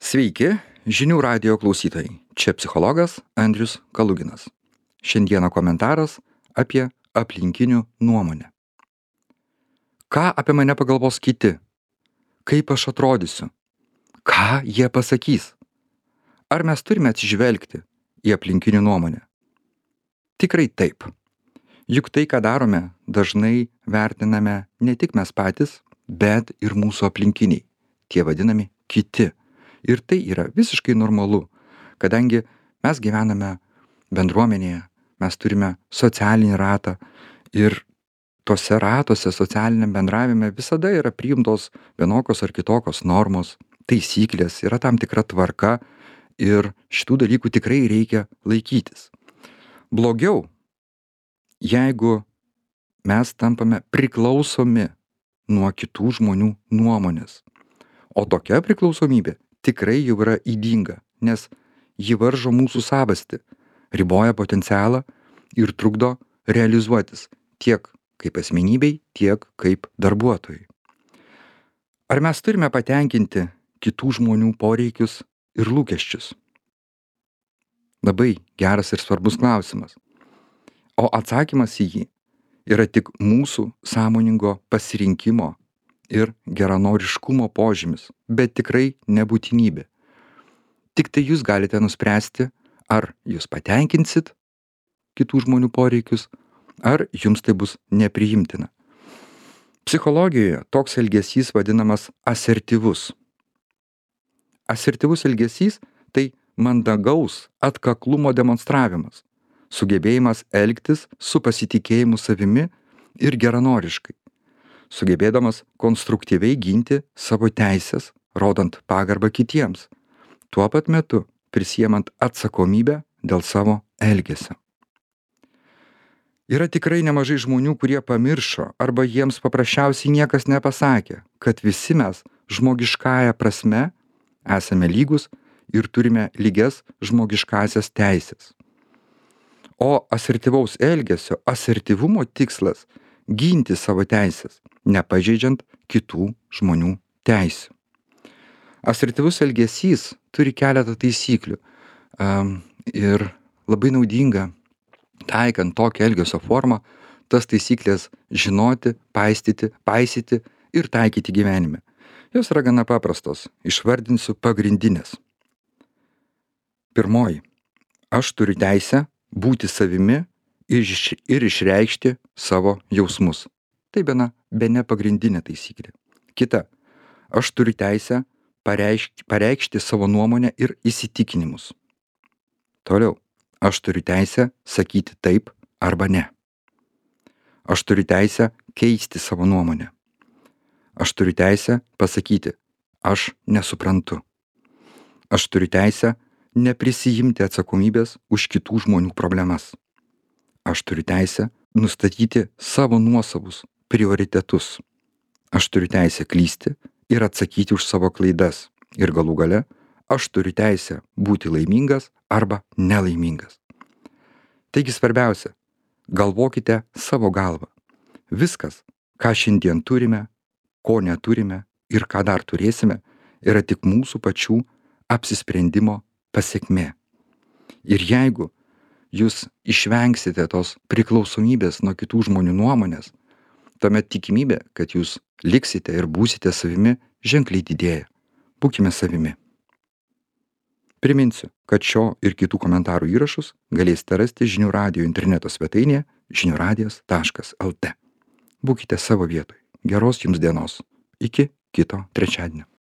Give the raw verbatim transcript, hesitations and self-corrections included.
Sveiki, žinių radijo klausytojai. Čia psichologas Andrius Kaluginas. Šiandieną komentaras apie aplinkinių nuomonę. Ką apie mane pagalvos kiti? Kaip aš atrodysiu? Ką jie pasakys? Ar mes turime atsižvelgti į aplinkinių nuomonę? Tikrai taip. Juk tai, ką darome, dažnai vertiname ne tik mes patys, bet ir mūsų aplinkiniai, tie vadinami kiti. Ir tai yra visiškai normalu, kadangi mes gyvename bendruomenėje, mes turime socialinį ratą ir tose ratuose socialiniam bendravime visada yra priimtos vienokios ar kitokios normos, taisyklės, yra tam tikra tvarka ir šitų dalykų tikrai reikia laikytis. Blogiau, jeigu mes tampame priklausomi nuo kitų žmonių nuomonės. O tokia priklausomybė tikrai jau yra ydinga, nes ji varžo mūsų savastį, riboja potencialą ir trukdo realizuotis tiek kaip asmenybei, tiek kaip darbuotojui. Ar mes turime patenkinti kitų žmonių poreikius ir lūkesčius? Labai geras ir svarbus klausimas. O atsakymas į jį yra tik mūsų sąmoningo pasirinkimo ir geranoriškumo požymis, bet tikrai nebūtinybė. Tik tai jūs galite nuspręsti, ar jūs patenkinsit kitų žmonių poreikius, ar jums tai bus nepriimtina. Psichologijoje toks elgesys vadinamas asertyvus. Asertyvus elgesys tai mandagaus atkaklumo demonstravimas, sugebėjimas elgtis su pasitikėjimu savimi ir geranoriškai, sugebėdamas konstruktyviai ginti savo teisės, rodant pagarbą kitiems, tuo pat metu prisiemant atsakomybę dėl savo elgesio. Yra tikrai nemažai žmonių, kurie pamiršo arba jiems paprasčiausiai niekas nepasakė, kad visi mes žmogiškąja prasme esame lygus ir turime lygias žmogiškąsias teisės. O asertyvaus elgesio, asertyvumo tikslas – ginti savo teisės, nepažeidžiant kitų žmonių teisių. Asertyvus elgesys turi keletą taisyklių um, ir labai naudinga, taikant tokią elgesio formą, tas taisyklės žinoti, paisyti, paisyti ir taikyti gyvenime. Jos yra gana paprastos, išvardinsiu pagrindinės. Pirmoji. Aš turiu teisę būti savimi ir, iš, ir išreikšti savo jausmus. Tai bene, bene pagrindinė taisyklė. Kita. Aš turiu teisę pareikšti, pareikšti savo nuomonę ir įsitikinimus. Toliau. Aš turiu teisę sakyti taip arba ne. Aš turiu teisę keisti savo nuomonę. Aš turiu teisę pasakyti, aš nesuprantu. Aš turiu teisę neprisijimti atsakomybės už kitų žmonių problemas. Aš turiu teisę nustatyti savo nuosavus prioritetus. Aš turiu teisę klysti ir atsakyti už savo klaidas. Ir galų gale, aš turiu teisę būti laimingas arba nelaimingas. Taigi svarbiausia, galvokite savo galvą. Viskas, ką šiandien turime, ko neturime ir ką dar turėsime, yra tik mūsų pačių apsisprendimo pasekmė. Ir jeigu jūs išvengsite tos priklausomybės nuo kitų žmonių nuomonės, tuomet tikimybė, kad jūs liksite ir būsite savimi, ženkliai didėja. Būkime savimi. Priminsiu, kad šio ir kitų komentarų įrašus galėsite rasti žinių radijo interneto svetainėje žinių radijas taškas lt. Būkite savo vietoje. Geros jums dienos. Iki kito trečiadienio.